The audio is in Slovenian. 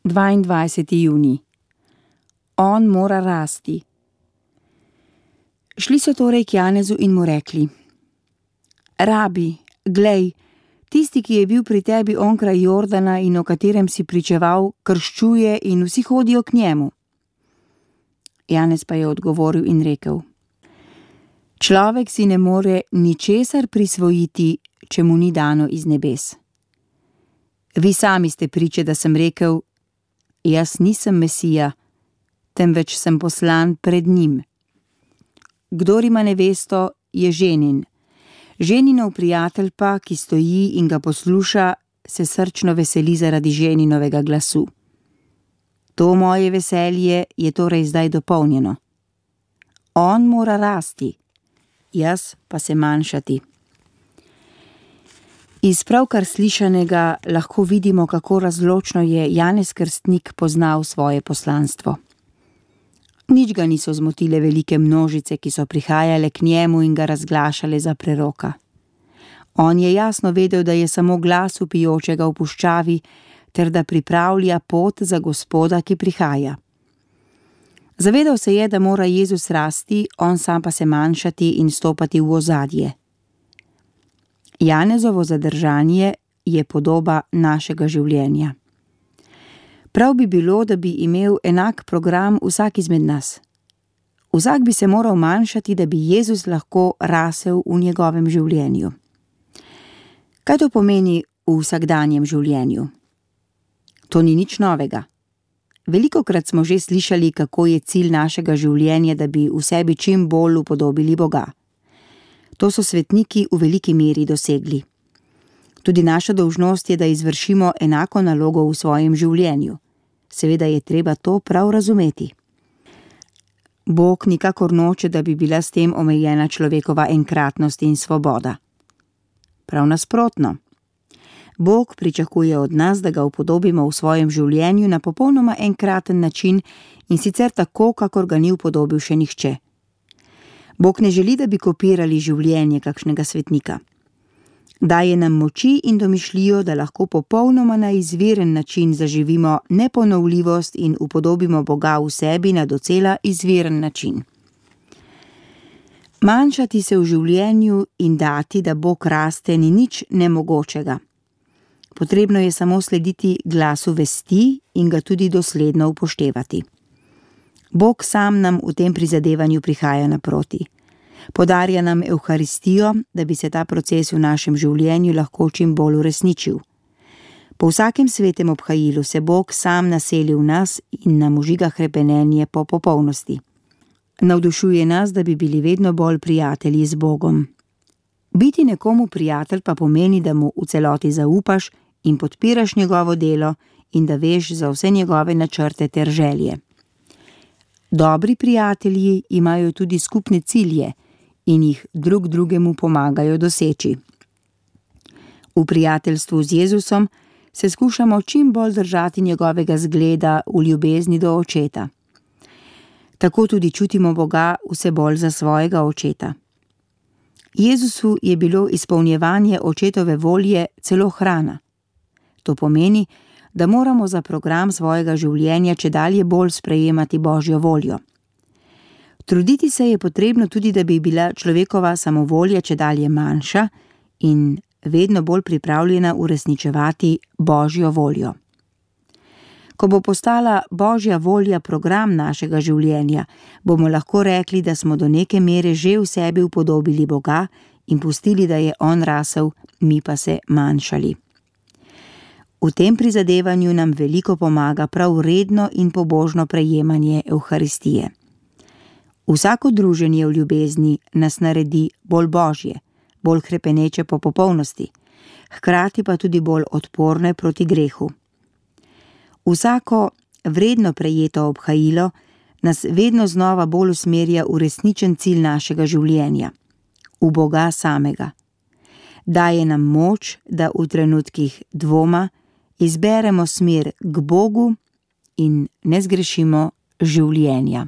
22. junij. On mora rasti. Šli so torej k Janezu in mu rekli: Rabi, glej, tisti, ki je bil pri tebi onkraj Jordana in o katerem si pričeval, krščuje in vsi hodijo k njemu. Janez pa je odgovoril in rekel: Človek si ne more ničesar prisvojiti, če mu ni dano iz nebes. Vi sami ste priče, da sem rekel: Jaz nisem Mesija, temveč sem poslan pred njim. Kdor ima nevesto, je ženin. Ženinov prijatelj pa, ki stoji in ga posluša, se srčno veseli zaradi ženinovega glasu. To moje veselje je torej zdaj dopolnjeno. On mora rasti, jaz pa se manjšati. Iz pravkar slišanega lahko vidimo, kako razločno je Janez Krstnik poznal svoje poslanstvo. Nič ga niso zmotile velike množice, ki so prihajale k njemu in ga razglašale za preroka. On je jasno vedel, da je samo glas vpijočega v puščavi, ter da pripravlja pot za Gospoda, ki prihaja. Zavedal se je, da mora Jezus rasti, on sam pa se manjšati in stopati v ozadje. Janezovo zadržanje je podoba našega življenja. Prav bi bilo, da bi imel enak program vsak izmed nas. Vsak bi se moral manjšati, da bi Jezus lahko rasel v njegovem življenju. Kaj to pomeni v vsakdanjem življenju? To ni nič novega. Velikokrat smo že slišali, kako je cilj našega življenja, da bi v sebi čim bolj upodobili Boga. To so svetniki v veliki meri dosegli. Tudi naša dolžnost je, da izvršimo enako nalogo v svojem življenju. Seveda je treba to prav razumeti. Bog nikakor noče, da bi bila s tem omejena človekova enkratnost in svoboda. Prav nasprotno. Bog pričakuje od nas, da ga upodobimo v svojem življenju na popolnoma enkraten način in sicer tako, kakor ga ni upodobil še nihče. Bog ne želi, da bi kopirali življenje kakšnega svetnika. Daje nam moči in domišljijo, da lahko popolnoma na izviren način zaživimo neponovljivost in upodobimo Boga v sebi na docela izviren način. Manjšati se v življenju in dati, da Bog raste, ni nič nemogočega. Potrebno je samo slediti glasu vesti in ga tudi dosledno upoštevati. Bog sam nam v tem prizadevanju prihaja naproti. Podarja nam Evharistijo, da bi se ta proces v našem življenju lahko čim bolj uresničil. Po vsakem svetem obhajilu se Bog sam naseli v nas in nam užiga hrepenenje po popolnosti. Navdušuje nas, da bi bili vedno bolj prijatelji z Bogom. Biti nekomu prijatelj pa pomeni, da mu v celoti zaupaš in podpiraš njegovo delo in da veš za vse njegove načrte ter želje. Dobri prijatelji imajo tudi skupne cilje in jih drug drugemu pomagajo doseči. V prijateljstvu z Jezusom se skušamo čim bolj držati njegovega zgleda v ljubezni do Očeta. Tako tudi čutimo Boga vse bolj za svojega Očeta. Jezusu je bilo izpolnjevanje Očetove volje celo hrana. To pomeni, da moramo za program svojega življenja čedalje bolj sprejemati Božjo voljo. Truditi se je potrebno tudi, da bi bila človekova samovolja čedalje manjša in vedno bolj pripravljena uresničevati Božjo voljo. Ko bo postala Božja volja program našega življenja, bomo lahko rekli, da smo do neke mere že v sebi upodobili Boga in pustili, da je on rasel, mi pa se manjšali. V tem prizadevanju nam veliko pomaga prav redno in pobožno prejemanje Evharistije. Vsako druženje v ljubezni nas naredi bolj božje, bolj hrepeneče po popolnosti, hkrati pa tudi bolj odporne proti grehu. Vsako vredno prejeto obhajilo nas vedno znova bolj usmerja v resničen cilj našega življenja, v Boga samega. Daje nam moč, da v trenutkih dvoma izberemo smer k Bogu in ne zgrešimo življenja.